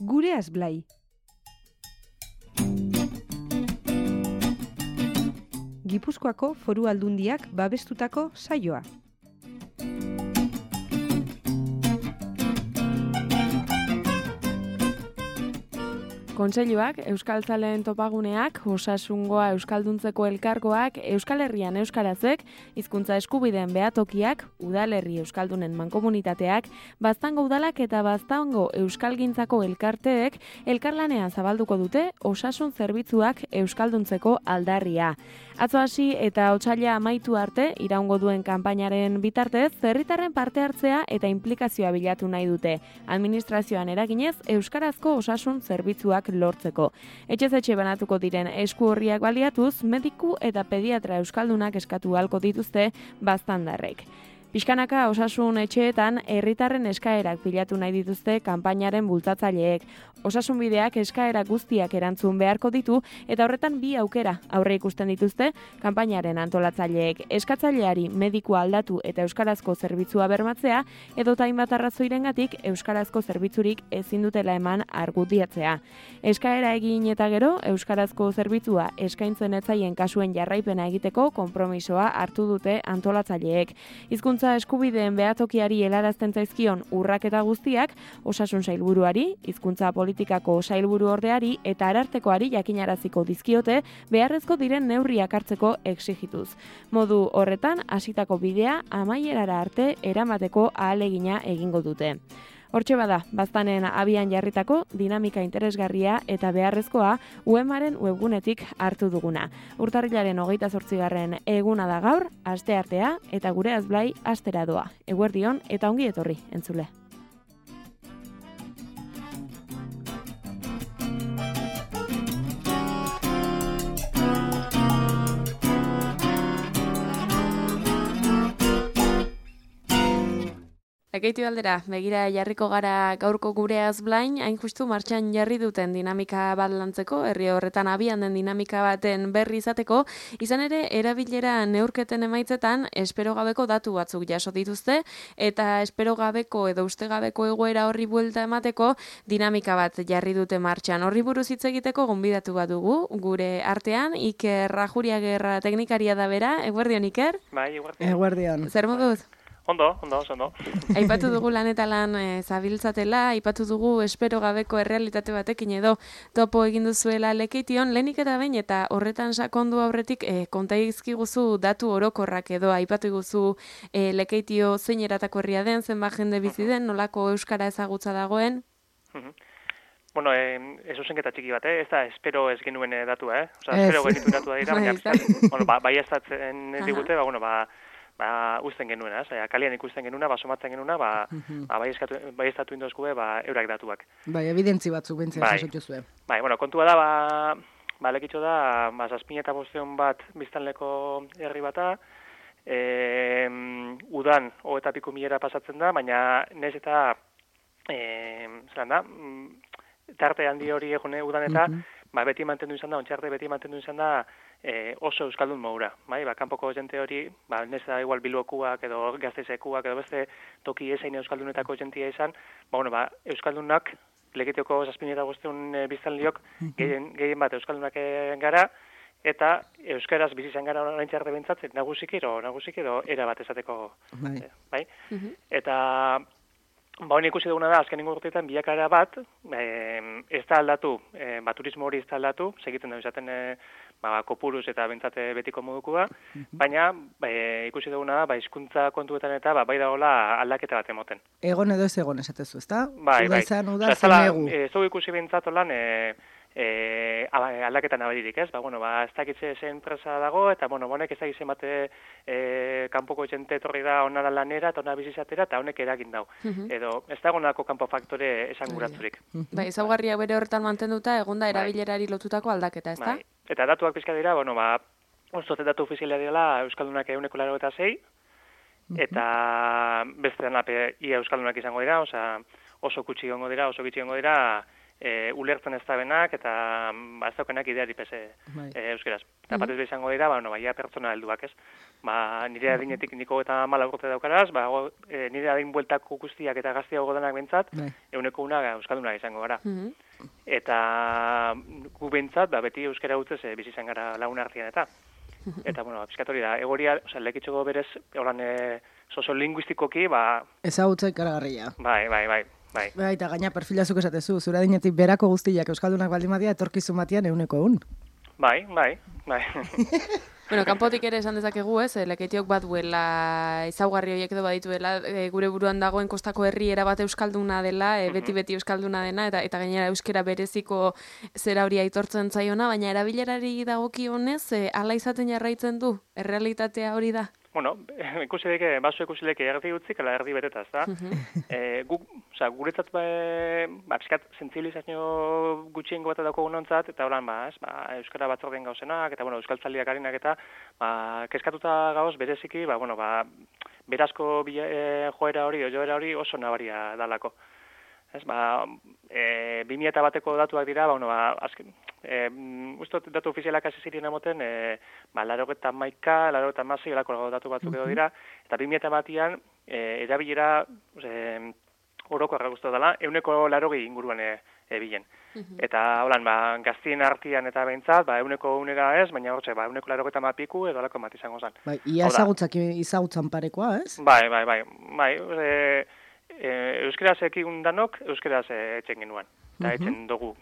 Gureaz Blai. Gipuzkoako Foru Aldundiak babestutako saioa. Kontseiluak, Euskaltzaleen topaguneak, Osasungoa Euskalduntzeko elkargoak, Euskal Herrian Euskarazek, hizkuntza eskubideen behatokiak, Udalerri Euskaldunen mankomunitateak, Baztango udalak eta Baztango Euskalgintzako elkarteek elkarlanean zabalduko dute osasun zerbitzuak euskalduntzeko aldarria. Atzo hasi eta otsaila amaitu arte iraungo duen kanpainaren bitartez, herritarren parte hartzea eta inplikazioa bilatu nahi dute. Administrazioan eraginez, euskarazko osasun zerbitzuak lortzeko. Etxez etxe banatuko diren esku horriak baliatuz, mediku eta pediatra euskaldunak eskatu ahalko dituzte baztandarrek. Pixkanaka osasun etxeetan herritarren eskaerak bilatu nahi dituzte kanpainaren bultzatzaileek. Osasun bideak eskaera guztiak erantzun beharko ditu eta horretan bi aukera aurre ikusten dituzte kanpainaren antolatzaileek. Eskatzaileari medikua aldatu eta euskarazko zerbitzua bermatzea edota hainbat arrazoirengatik euskarazko zerbitzurik ezin dutela eman argudiatzea. Eskaera egin eta gero euskarazko zerbitzua eskaintzen etzaien kasuen jarraipena egiteko konpromisoa hartu dute antolatzaileek. Hizkuntza eskubideen behatokiari helarazten zaizkion urraketa guztiak osasun sailburuari, hizkuntza politikako sailburu ordeari eta arartekoari jakinaraziko dizkiote beharrezko diren neurriak hartzeko exigituz. Modu horretan hasitako bidea amaierara arte eramateko ahalegina egingo dute. Hortxe bada, baztanen abian jarritako dinamika interesgarria eta beharrezkoa UEMaren webgunetik hartu duguna. Urtarrilaren 28. eguna da gaur, asteartea eta Gureaz Blai astera doa. Eguerdion eta ongi etorri, entzule. Ekeitu aldera, begira jarriko gara gaurko Gureaz Blain, hain justu martxan jarri duten dinamika bat lantzeko, herri horretan abian den dinamika baten berri izateko, izan ere erabilera neurketen emaitzetan espero gabeko datu batzuk jaso dituzte, eta espero gabeko edo uste gabeko egoera horri buelta emateko dinamika bat jarri dute martxan. Horri buruz hitz egiteko gonbidatu bat dugu, gure artean, Iker Rajuriagerra teknikaria da bera, eguerdion Iker? Bai, eguerdion. Eguerdion. Zer moduz? Ondo. Aipatu dugu lan eta lan zabiltzatela, aipatu dugu espero gabeko errealitate batekin edo topo egin duzuela Lekeition, lehenik eta behin eta horretan sakondu aurretik konta izkiguzu datu orokorrak edo aipatu iguzu Lekeitio zein eratako herria den, zenbat jende bizi den, nolako euskara ezagutza dagoen? Bueno, ez zuzenketa txiki bat, ez da espero ez genuen datua, Osa, espero genitu datua dira, baina bai ez datzen digute, usten genuena, kalian ikusten genuena, somatzen genuena, bai estatu indozkube, eurak datuak. Bai, evidentzi batzuk bentzea jasotu zuen. Bai, kontua da, Lekitxo da, 7.500 bat biztanleko herri bata, udan, eta piku milera pasatzen da, baina nez eta, tarte handi hori egune udan eta, beti mantendu izan da, ontxarte beti mantendu izan da, oso euskaldun modura, kanpoko jente hori, nez da igual Bilbokuak edo Gasteizekuak edo beste toki ezain euskaldunetako jentia izan, euskaldunak, Lekitioko 7.500 biztanliok gehien bat euskaldunak gara, eta euskaraz bizi izan gara oraintxe arte behintzat, nagusiki edo era bat esateko, bai? Eta hori ikusi duguna da, azken urteetan bilakara bat, ez da aldatu, turismo hori ez da aldatu, segiten da izaten kopuruz eta bentsate betiko modukoa, baina ikusi duguna da, hizkuntza kontuetan eta bai dagoela aldaketa bat emoten. Egon edo ez egon esatezu, ezta? Bai. Uda zen egu. Zau ikusi bentsat olan aldaketan abadirik, ez? Ez dakitze zen enpresa dago, eta honek ez dakitzen bate kanpoko jente etorri da onara lanera, eta ona bizizatera, eta honek eragin dau. Edo, ez dago nolako kanpo faktore esanguratzurik. Bai, ezaugarriak bere horretan mantenduta, egonda erabilerari lotutako aldaketa, ez da? Eta datuak pizka dira, ozote datu ofiziala direla Euskaldunak 186, eta beste denape ia Euskaldunak izango dira, oso gutxi gongo dira, ulertzen ez da benak, eta ez daukenak ideari pese euskeraz. Eta batez izango dira, ia pertsona helduak, ez? nire adinetik niko eta 14 urte daukaraz, nire adin bueltako guztiak eta gaztiago denak bentsat, 100 euskalduna izango gara. Eta gu bentsat, beti euskara gutzez bizi izan gara lagun artean eta bueno, pizkatori da, egoria, lekitxoko berez, soziolinguistikoki, ezagutza ikaragarria. Bai, eta gaina perfilazuk esatezu, zure adinetik berako guztiak euskaldunak baldin badia, etorkizun batean 100. Bai. Bueno, kanpotik ere esan dezakegu, Lekeitiok bat duela ezaugarri horiek edo badituela, gure buruan dagoen kostako herriera bat euskalduna dela, beti euskalduna dena, eta gainera euskera bereziko zera hori aitortzen zaiona, baina erabilerari dagokionez, hala izaten jarraitzen du, errealitatea hori da? Bueno, ikusi leke erdi utzik, ala erdi beteta, ezta? Guretzat, pizkat, sentsibilizazio gutxiengo bat daukagu nontzat, eta holan, euskara batzordeen gauzenak, eta, euskaltzaliak harinak eta, kezkatuta gauz, bereziki, berazko joera hori oso nabaria dalako. 2001ko datuak dira, azken, ustot datu ofizialak hasi ziren emoten, 81, 86, elako datu batzuk edo dira, eta 2001an erabilera orokorra guztu dela, 180 inguruan bilen. Eta, holan, gaztien artean eta behintzat, 100 ez, baina hortxe, 180 piku edo alako bat izango zen. Ia ezagutzan parekoa, ez? Bai, euskeraz ekigun danok, euskeraz etxen genuen. Eta etxen dugu.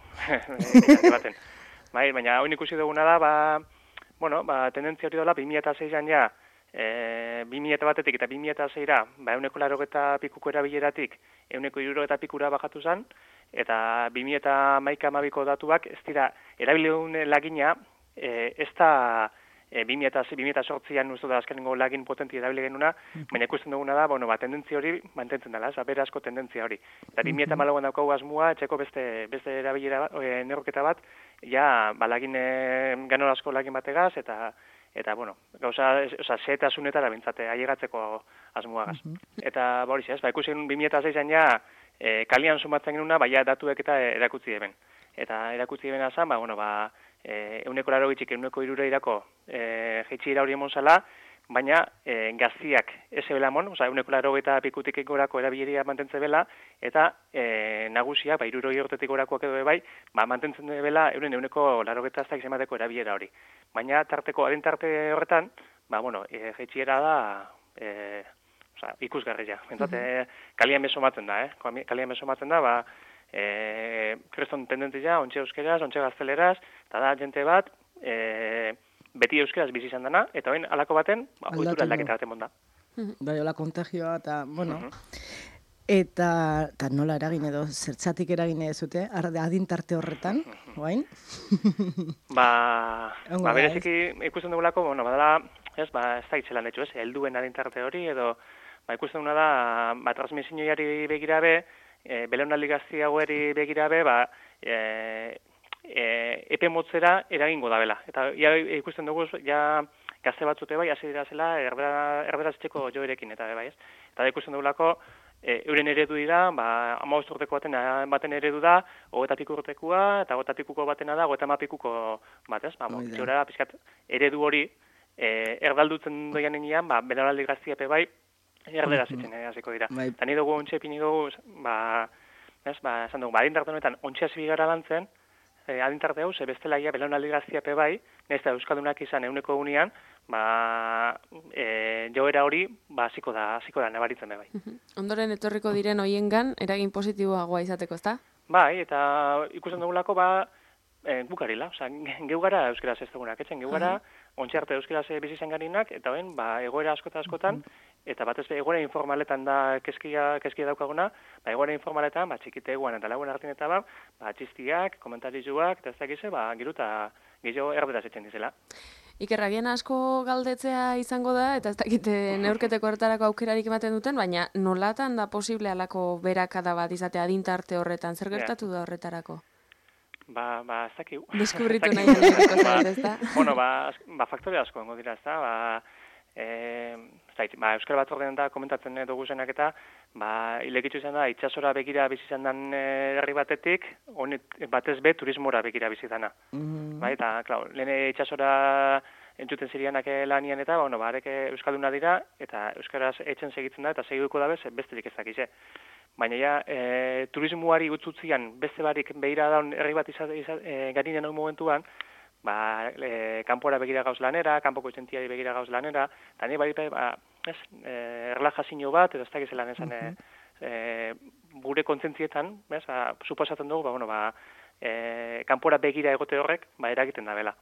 Baina hau ikusi duguna da, tendentzia hori dola, 2006an ja, 2001etik eta 2006ra, 180 pikuko erabileratik, 160 pikura bajatu zen, eta 2011-12ko datuak, ez dira, erabileun lagina, ez da 2008an uste da azkenengo lagin potenti erabile genuna, baina ikusten duguna da, tendentzia hori mantentzen dela, berazko tendentzia hori. Eta 2008an daukagu asmua, etxeko beste erabilera neurketa bat, ja, lagin ganorazko lagin bategaz, eta gauza, zehetasunetara bintzate, ailegatzeko asmuagaz. Eta hori ez, ikusi 2006an ja, kalian sumatzen genuna, baina datuek eta erakutzi eben. Eta erakutzi ebena zan, 180 160irako jeitxiera hori emon zala, baina gaztiak ez ebela emon, 180 pikutik gorako erabileria mantentze bela, eta nagusiak, 60 urtetik gorakoak edo bai, mantentzen bela euren 180 izemateko erabilera hori. Baina adintarte horretan, jeitxiera da ikusgarria. Entzat, kalian besomatzen da, Kalian besomatzen da, kreston tendentzia, ontxe euskeraz, ontxe gazteleraz, eta da jente bat, beti euskeraz bizi izan dana, eta hoin alako baten, ohitura aldaketa baten monda. Bai, hola kontagioa, eta, eta nola eragin edo, zertzatik eragin edezute, adintarte horretan, oain? Bereziki ikusten dugulako, badala, ez da itzelan etxu, helduen adintarte hori, edo, ikusten duguna da, transmisioiari begirabe, belaunaldi gazti haueri begirabe, epe motzera eragingo da bela. Eta ikusten dugu, ja gazte batzute bai, hasi dira zela, erderaz etxeko joerekin, eta bai ez. Eta ikusten dugulako, euren eredu dira, 15 urteko baten eredu da, 20 piku urtekoa, eta 20 pikuko batena da, 30 pikuko bat ez. Jora, pixkat, eredu hori, erdaldutzen doian enean, belaunaldi gazti epe bai, erderaz etxen hasiko dira. Eta ni dugu ontxe epini dugu, esan dugu, adintarte honetan ontxe hasi gara lantzen, adintarte hau, bestelaia belaunaldi gaztiape bai, nesta euskaldunak izan 100 joera hori, hasiko da nabaritzen bai. Ondoren etorriko diren hoiengan eragin positiboagoa izateko, ezta? Bai, eta ikusten dugulako, gukarila, geu gara euskaraz ez dugunak, geu gara, ontxe arte euskaraz bizi izan garinak, eta hoen, egoera askotan, eta batez egoera informaletan da keskia daukaguna, egoera informaletan, txikiteguan eta lagun hartin eta txistiak, komentarizuak, eta ez dakize, giruta gehiago erderaz etxen dizela. Iker, agian asko galdetzea izango da, eta ez dakite neurketeko horretarako aukerarik ematen duten, baina nolatan da posible alako berakada bat izatea adintarte horretan, zer gertatu da horretarako? Ez dakiu. Deskubritu nahi aleko zait, ez da? Bueno, faktore asko ongo dira, ez da, Euskal Batzordean da komentatzen dugu zenak eta ilekitzu izan da, itxasora begira bizizan dan herri batetik, batez be turismora begira bizizana. Eta, klar, lehen itxasora entzuten zirianak lanian eta, bueno, ba, arek euskalduna dira, eta euskaraz etxen segitzen da, eta segituko dabe, besterik ez dakize. Baina ja, turismoari utzutzian beste barik behira daun herri bat garinen hau momentuan, ba, kanpora begira gauz lanera, kanpoko izentiari begira gauz lanera, eta nahi bari, ba, erlajazio bat, edo ez dakiz lan esan, gure kontzentzietan, suposatzen dugu, ba, bueno, ba, kanpora begira egote horrek, ba, eragiten da bela.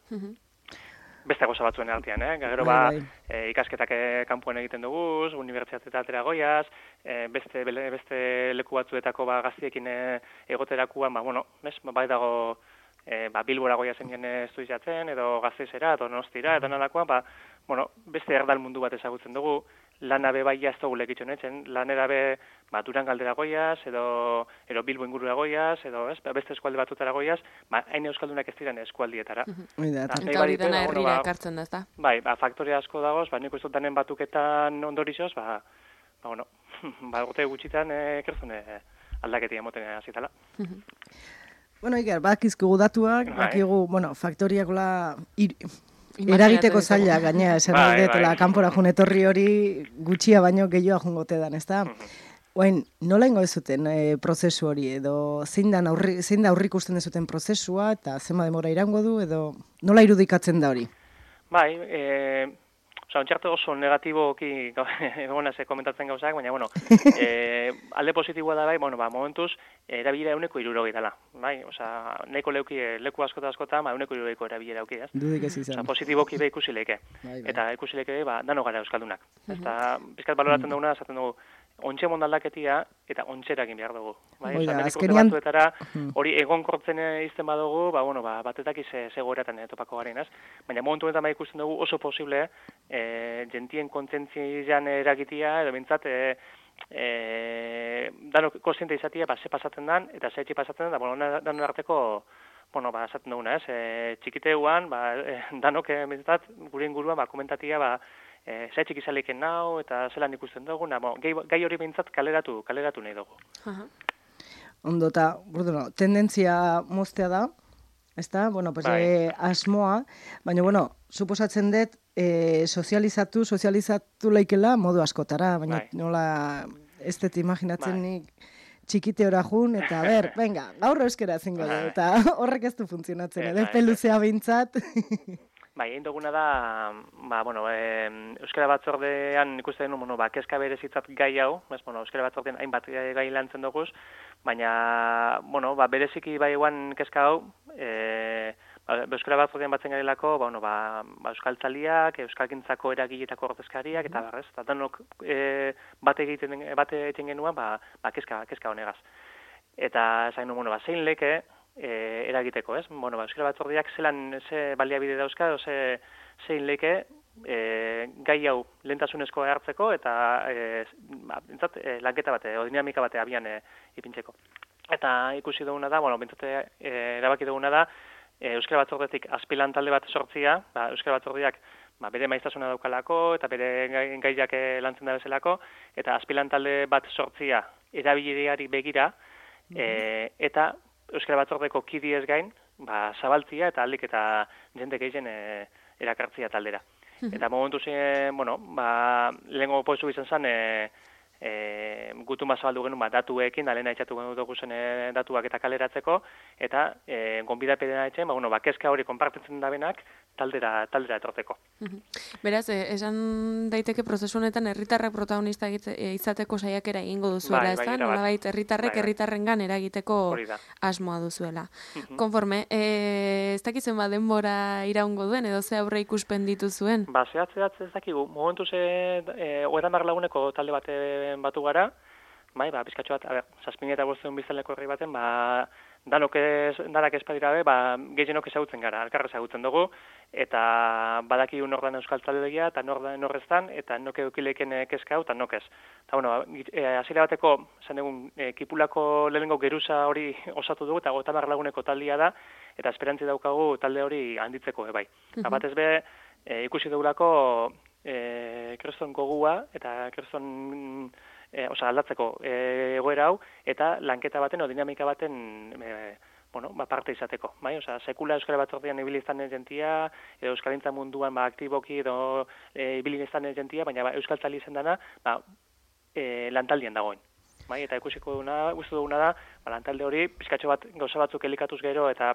Beste goza batzuen artean, gero ba, ikasketak kanpoan egiten dugu, unibertsitatea atera goiaz, beste leku batzuetako ba, gaztiekin egoterakuan, ba, bueno, bai dago ba, Bilbora goia zen estudiatzen, edo Gasteizera, edo Donostira, edo nolakoan, ba, bueno, beste erdal mundu bat ezagutzen dugu, lana be bai jazto gulek itxonetzen, lanera be ba, Durangaldera goiaz, edo Bilbo ingurura goiaz, edo beste eskualde batutara goiaz, ba, hain euskaldunak ez diren eskualdietara. Eta hori dena herrira ekartzen da, ezta? Bai, ba, faktoria asko dagoz, ba, nik uste danen batuketan ondorioz, ba, bueno, ba, gote gutxitan kerzune aldaketia moten azitala. Bueno, Iker, bakizkigu datuak, bakigu, bueno, faktoriakola eragiteko zaila, gaina, esan aldetela, kanpora jun etorri hori gutxia baino gehiago jungote dan, ezta? Oain, nola ingo zuten prozesu hori, edo zein da aurrikusten dezuten prozesua, eta zenba demora irango du, edo nola irudikatzen da hori? Bai, ontxarte oso negatiboki egonaz komentatzen gauzak, baina, bueno, alde positiboa da bai, bueno, ba, momentuz, erabilera 160 dela, bai, oza, nahiko leku askota, ba, 160 erabilera auki, ez? Dudik ez izan. Oza, positiboki be ikusi leke. Eta ikusi leke, ba, dano gara euskaldunak. Eta, bizkat baloratzen duguna, esaten dugu, ontxe mondaldaketia eta ontxerakin behar dugu. Bai, azkenean batzuetara hori egonkortzen izten badugu, ba, bueno, ba, batetak zegoeratan topako garen, ez? Baina momentu honetan bai ikusten dugu oso posible jentien kontentzian eragitia, edo bintzat, danok kontziente izatia, ba, ze pasatzen dan, eta ze etxi pasatzen dan, da, bueno, danon arteko, bueno, ba, esaten duguna, ez? Txikiteuan, ba, danok, bintzat, gure inguruan, ba, komentatia, ba, zaitxik izaleken nau, eta zelan ikusten dugu, gai hori behintzat kaleratu nahi dugu. Ondo, eta, tendentzia moztea da, ezta? Bueno, pues, asmoa, baina, bueno, suposatzen dut, sozializatu laikela modu askotara, baina nola, ez dut imaginatzen nik txikite ora jun, eta venga, gaur euskera zingo du, eta horrek ez du funtzionatzen, edo peluzea behintzat. Bai, egin duguna da, ba, bueno, euskara batzordean ikusten duen, bueno, ba, kezka berezitzat gai hau, bueno, euskara batzordean hainbat gai lantzen duguz, baina, bueno, ba, bereziki bai eguan kezka hau, euskara batzordean batzen garelako, ba, bueno, ba, euskaltzaliak, euskalgintzako eragiletako ordezkariak, eta barrez, eta danok bate egiten genuen, ba, kezka honegaz. Eta, zain, bueno, ba, zein leke, eragiteko, ez? Bueno, ba, euskara batzordiak ze baliabide dauzka, zein leke gai hau lehentasunezko hartzeko eta lanketa bate, o dinamika bate abian ipintzeko. Eta ikusi duguna da, bueno, erabaki duguna da, euskara batzordetik azpilan talde bat sortzia, ba, euskara batzordiak bere maiztasuna daukalako eta bere gaiak lantzen da bezalako, eta azpilan talde bat sortzia erabileari begira, eta euskara batzordeko kidiez gain, ba, zabaltzia eta aldik eta jende gehien erakartzia taldera. Eta momentu zen, bueno, ba, lehenko poizu izan zen, gutun bat zabaldu genuen, datuekin, da lehena etxatu genuen dugu zen datuak eta kaleratzeko, eta gonbidapena etxen, ba, bueno, ba, kezka hori konpartitzen da benak, taldera etorteko. Beraz, esan daiteke prozesu honetan herritarrek protagonista izateko saiakera egingo duzuela, ezta? Nolabait herritarrek herritarrengan eragiteko asmoa duzuela. Konforme, ez dakizen ba denbora iraungo duen edo ze aurre ikuspen dituzuen? Ba, zehatz ez dakigu. Momentu ze 30 laguneko talde batu gara, bai, ba, bizkatxo bat, 7.500 biztanleko herri baten, ba, danak espadira be, ba, gehienok ezagutzen gara, alkarra ezagutzen dugu, eta badaki nordan euskal taldegia, eta norreztan, eta noke eukileken kezka hau, eta nokez. Eta, bueno, hasiera bateko, esan egun, kipulako lehenengo geruza hori osatu dugu, eta 30 laguneko taldea da, eta esperantzi daukagu talde hori handitzeko, bai. Batez be, ikusi dugulako, kreston gogua, eta kreston aldatzeko egoera hau, eta lanketa baten, o dinamika baten bueno, parte izateko, bai? Osea, sekula euskara batzordean ibili izan jentia, edo euskalintza munduan aktiboki edo ibili izan jentia, baina euskaltzali izan dana, lantaldian dagoen. Bai, eta uste duguna da, lantalde hori pizkatxo bat gauza batzuk elikatuz gero eta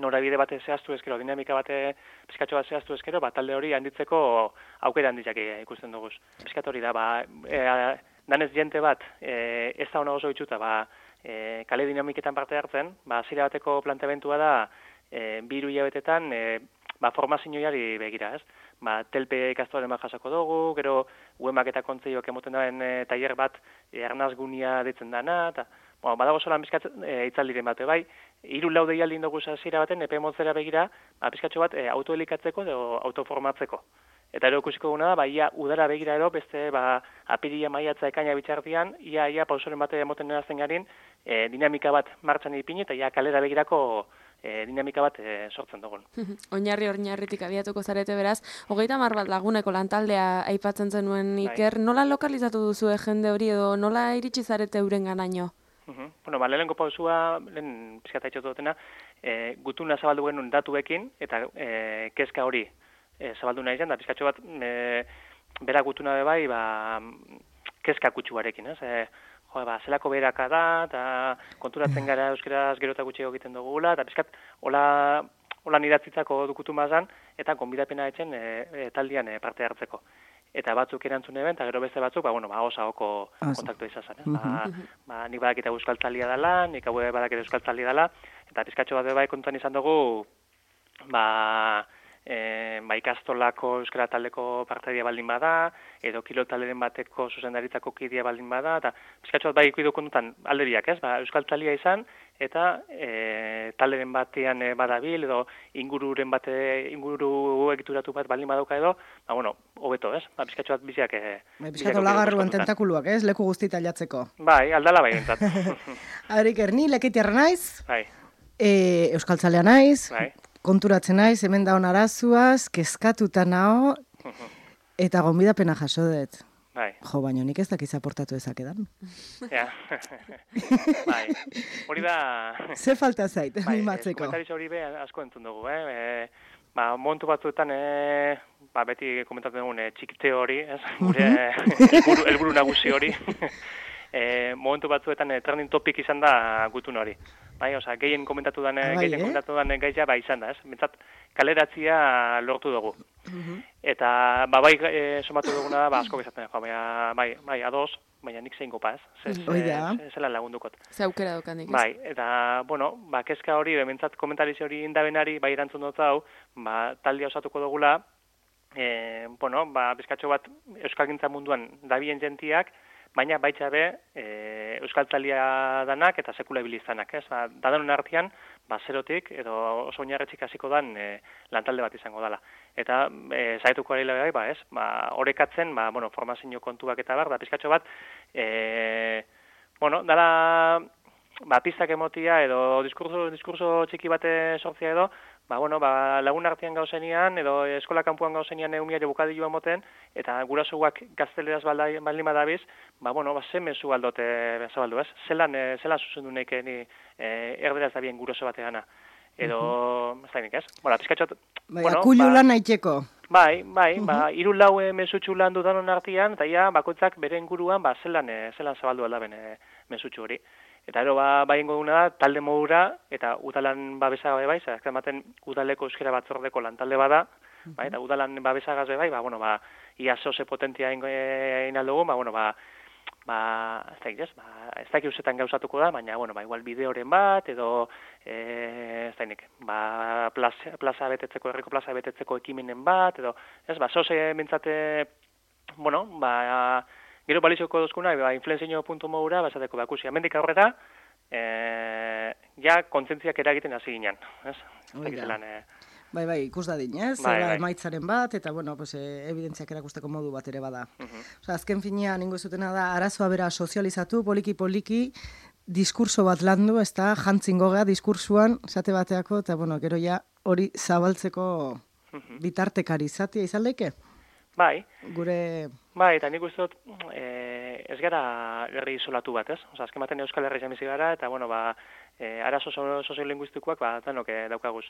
norabide bat zehaztu ezkero, dinamika bat pizkatxo bat zehaztu ezkero, talde hori handitzeko aukera handitzak ikusten duguz. Pizkat hori da, danez jente bat, ez da hona oso itxuta, kale dinamiketan parte hartzen, zira bateko planteamentua da, 2 hilabetetan, formazioari begira, ez? Telpe ikastoren bat jasako dugu, gero uemak eta kontzeioak emoten duen tailer bat arnazgunia ditzen dana, eta badago solan bizkat itzaldiren bate, bai, 3-4 deialdi dugu zira baten, epe motzera begira, bizkatxo bat autoelikatzeko edo autoformatzeko. Eta ero ikusiko guna da, ia udara begira ero, beste apiria maiatza ekaina bitxartian, ia pausoren bate emoten erazten garin, dinamika bat martxan ipini, eta ia kalera begirako dinamika bat sortzen dugun. Oinarritik abiatuko zarete beraz, 30 bat laguneko lantaldea aipatzen zenuen Iker, nola lokalizatu duzu jende hori edo nola iritsi zarete euren ganaino? Bueno, lehenengo pausua, lehen pizkata itxotu dutena, gutuna zabaldu genuen datuekin, eta kezka hori zabaldu nahi zen, da pizkatxo bat bera gutuna bebai, kezka kutsuarekin, ez? Zelako beraka da, eta konturatzen gara euskeraz gero eta gutxi egiten dugula, eta pizkat, hola nidatzitzako dukutu mazan, eta konbidapena etxen taldian parte hartzeko. Eta batzuk erantzun eben, eta gero beste batzuk, osahoko kontaktu izazan. Nik badakita euskaltzalia dela, nik hau badakita euskaltzalia dela, eta pizkatxo bat bebai kontuan izan dugu, ikastolako euskara taldeko partaidea baldin bada, edo kilotalderen bateko zuzendaritzako kidea baldin bada, eta pizkatxo bat ikuidu kontutan alde ez? Euskaltzalia izan, eta talderen batean badabil, edo inguru egituratu bat baldin badauka edo, hobeto, ez? Pizkatxo bat biziak... Pizkatu lagarruan tentakuluak, ez? Leku guztita aldatzeko. Bai, aldala bai entzat. Arik, Erni, leketiarra naiz, bai. Euskaltzalea naiz, bai. Konturatzen naiz, hemen daun arazuaz, kezkatuta nao, eta gonbidapena jaso dut. Bai. Jo, baina nik ez dakiz aportatu ezakedan. Ja. Bai. Hori da... Ze falta zait, animatzeko. Komentariz hori asko entzun dugu, momentu batzuetan, beti komentatzen dugun txikite hori, gure helburu nagusi hori. Momentu batzuetan trending topic izan da gutun hori. Bai, osea, gehien komentatu dan gaia izan da, ez? Bentsat kaleratzia lortu dugu. Eta somatu duguna da, asko bezatzen, bai, ados, baina nik zein gopa, ez? Zela lagundukot. Ze aukera dokanik, ez? Bai, eta, kezka hori, bentsat komentariz hori indabenari, bai erantzun dut hau, taldia osatuko dugula, bizkatxo bat euskalgintza munduan dabien jentiak, baina baitza be euskaltzalia danak eta sekula ibilizanak, ez? Dadanon artean, zerotik edo oso oinarretxik hasiko dan lantalde bat izango dela. Eta zaituko ari bai, ez? Orekatzen, formazio kontuak eta da pizkatxo bat, dala pistak emotia edo diskurso txiki bate sortzia edo, lagun artean gauzenian, edo eskola kanpuan gauzenian eumiare bukadilua moten, eta gurasoak gazteleraz baldin badabiz, ze mezu aldote zabaldu, ez? Zelan zuzendu neke ni erderaz da bien guraso bateana. Edo, ez da nik, ez? Pizkatxot... Akulu lan naiteko. Bai, 3-4 mesutxu lan dudanon artean, eta bakoitzak bere inguruan, zelan zabaldu aldaben mesutxu hori. Eta ero, ingo duguna da, talde modura, eta udalan babesa bai, ematen udaleko euskera batzordeko lantalde bada, eta udalan babesagaz bai, ia zoze potentia egin aldugu, ez dakik usetan gauzatuko da, baina, igual bideoren bat, edo, ez dakik, plaza betetzeko, herriko plaza betetzeko ekimenen bat, edo, zoze mintzate, gero balizoko dozkuna, influenzio.moura, basateko bakusi. Hemendik aurrera, kontzentziak eragiten hasi ginen. Bai, ikus da din, ez? Emaitzaren bat, eta, evidentziak erakusteko modu bat ere bada. Azken finean, ningo zutena da, arazoa bera sozializatu, poliki, diskurso bat landu, ez da, jantzingo gea diskursuan, esate bateako, eta, gero hori zabaltzeko bitartekari izatea izan leke? Bai. Gure... Bai, eta nik uste dut, ez gara herri isolatu bat, ez? Osa, azken batean Euskal Herria bizi gara, eta, bueno, arazo soziolinguistikoak, danok daukaguz.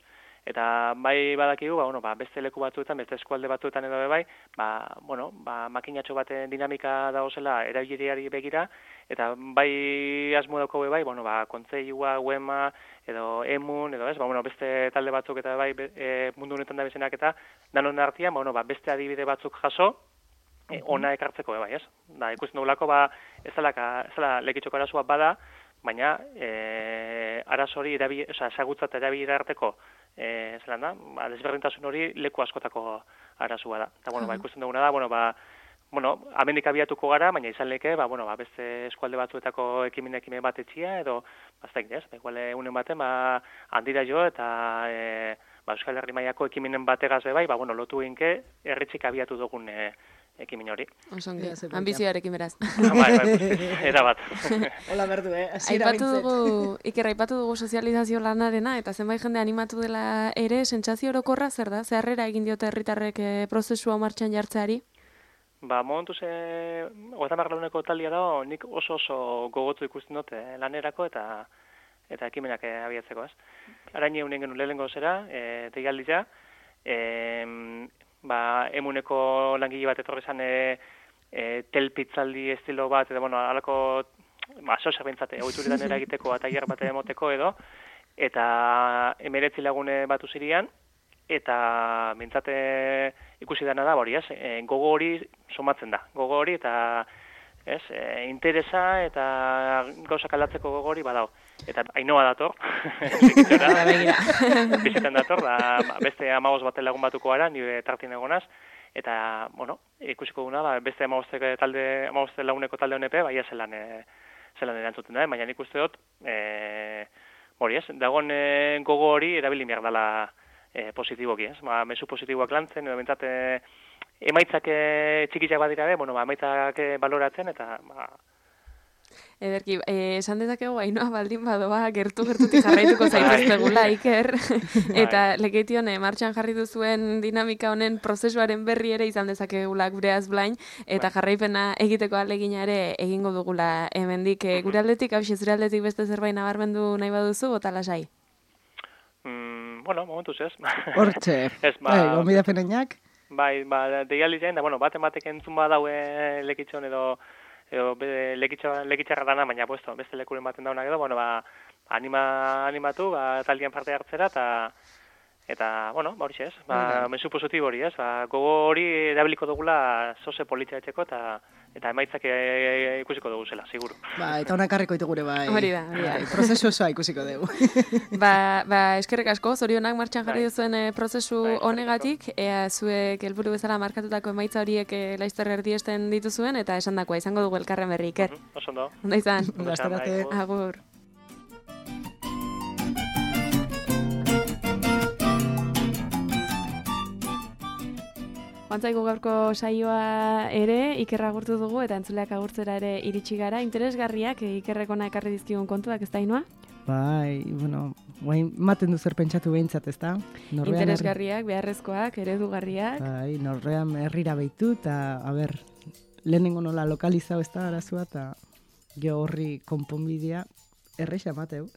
Eta bai badakigu, beste leku batzuetan, beste eskualde batzuetan edo bai, makinatxo baten dinamika dauzela erabiliari begira, eta bai asmo dauko bai, kontseilua, UEMA, edo EMUN, edo ez, beste talde batzuk eta bai mundu honetan da bezenak eta danon artean, beste adibide batzuk jaso, ona ekartzeko bai, ez? Da, ikusten dugulako, ez dela lekitxoko arazoa bada, baina arazo hori ezagutzat erabili arteko desberdintasun hori leku askotako arazoa da. Eta, ikusten duguna da, amendik abiatuko gara, baina izan leke, beste eskualde batzuetako ekimen bat etxia, edo, baztek, ez? Igual, unen baten, handira jo, eta Euskal Herri mailako ekimenen bategaz bai, lotu ginke, erritzik abiatu dugun ekimen hori. Osongi, ambizioarekin beraz. Era bat. Hola berdu, aipatu dugu sozializazio lanarena, eta zenbait jende animatu dela ere, sentsazio orokorra zer da? Zeharrera egin diote herritarrek prozesua martxan jartzeari? Momentuz, 30 laguneko talia da, nik oso gogotzu ikusten dut lanerako eta ekimenak abiatzeko, ez? Arain egunen genuen lehenengo zera, deialdia, emuneko langile bat etorri zan telpitzaldi estilo bat, edo, alako, sosa bintzate, oituritan eragiteko eta tailer bat emoteko edo, eta 19 lagune batu zirian, eta bintzate ikusi dana da, hori, ez? Gogo hori somatzen da, gogo hori eta interesa eta gauzak aldatzeko gogo hori badao. Eta Ainoa dator, bizitan dator, beste 15 baten lagun batuko gara, nire tartien egonaz, eta, ikusiko duna, beste 15 laguneko talde honepe, baina zelan erantzuten da, baina nik uste dut, hori ez, dagoen gogo hori erabili behar dela positiboki, ez? Mezu positiboak lantzen, edo bentsate emaitzak txikiak badira be, emaitzak baloratzen, eta, Ederki, esan dezakegu Ainoa baldin badoa gertu-gertutik jarraituko zaiteztegula, Iker, eta leketion martxan jarri duzuen dinamika honen prozesuaren berri ere izan dezakegula gure azblain, eta jarraipena egiteko ahalegina ere egingo dugula hemendik. Gure aldetik, zure aldetik beste zerbait nabarmendu nahi baduzu, bota lasai? Momentuz ez. Hortxe, gomidapeneinak? Bai, deialdi zain, da, batek entzun badaue lekitxon edo lekitxarra dana, baina beste lekuren baten daunak edo, animatu, taldean parte hartzera, eta hori ez, mezu positibo hori ez, gogo hori erabiliko dugula zoze politia etxeko, eta emaitzak ikusiko dugu zela, seguru. Eta honak harriko itugure bai. Hori da. Prozesu osoa ikusiko dugu. Eskerrik asko, zorionak martxan jarri duzuen prozesu honegatik, zuek helburu bezala markatutako emaitza horiek laizter erdiesten dituzuen, eta esandakoa izango dugu elkarren berri, Iker. Oso ondo. Ondo izan. Gastarate. Agur. Bantzaigu gaurko saioa ere, Ikerra agurtu dugu eta entzuleak agurtzera ere iritsi gara. Interesgarriak Ikerrekona ekarri dizkigun kontuak, ez da, Ainoa? Bai, guain maten du zer pentsatu behintzat, ez da? Interesgarriak, beharrezkoak, eredugarriak. Bai, norrean herrira behitu, eta, lehenengo nola lokalizau ez da arazua, eta jo horri konponbidea erreixa mateu.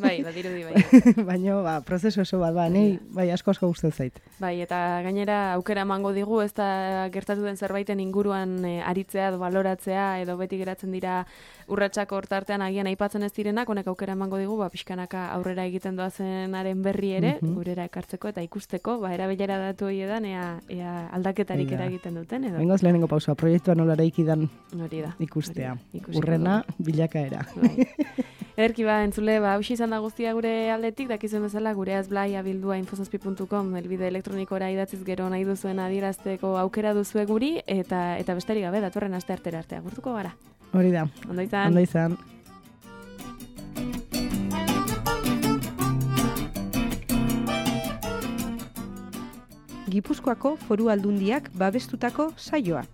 Bai, badirudi bai. Baina, prozesu oso bat, bai, asko gustatzen zait. Bai, eta gainera aukera emango digu, ez da gertatu den zerbaiten inguruan aritzea edo baloratzea, edo beti geratzen dira urratsak hortartean agian aipatzen ez direnak, honek aukera emango digu, pixkanaka aurrera egiten doazenaren berri ere, gurera ekartzeko eta ikusteko, erabilera datu hori edan, ea aldaketarik eragiten duten, edo. Bengoz lehenengo pausua, proiektua nola eraikidan ikustea. Urrena, bilakaera. Ederki entzule, hausi izan da guztia gure aldetik, dakizuen bezala gure azblai abildua infosazpi.com, elbide elektronikora idatziz gero nahi duzuen adierazteko aukera duzue guri, eta besterik gabe, datorren aste artera arte agurtuko gara. Hori da. Ondo izan. Ondo izan. Gipuzkoako Foru Aldundiak babestutako saioa.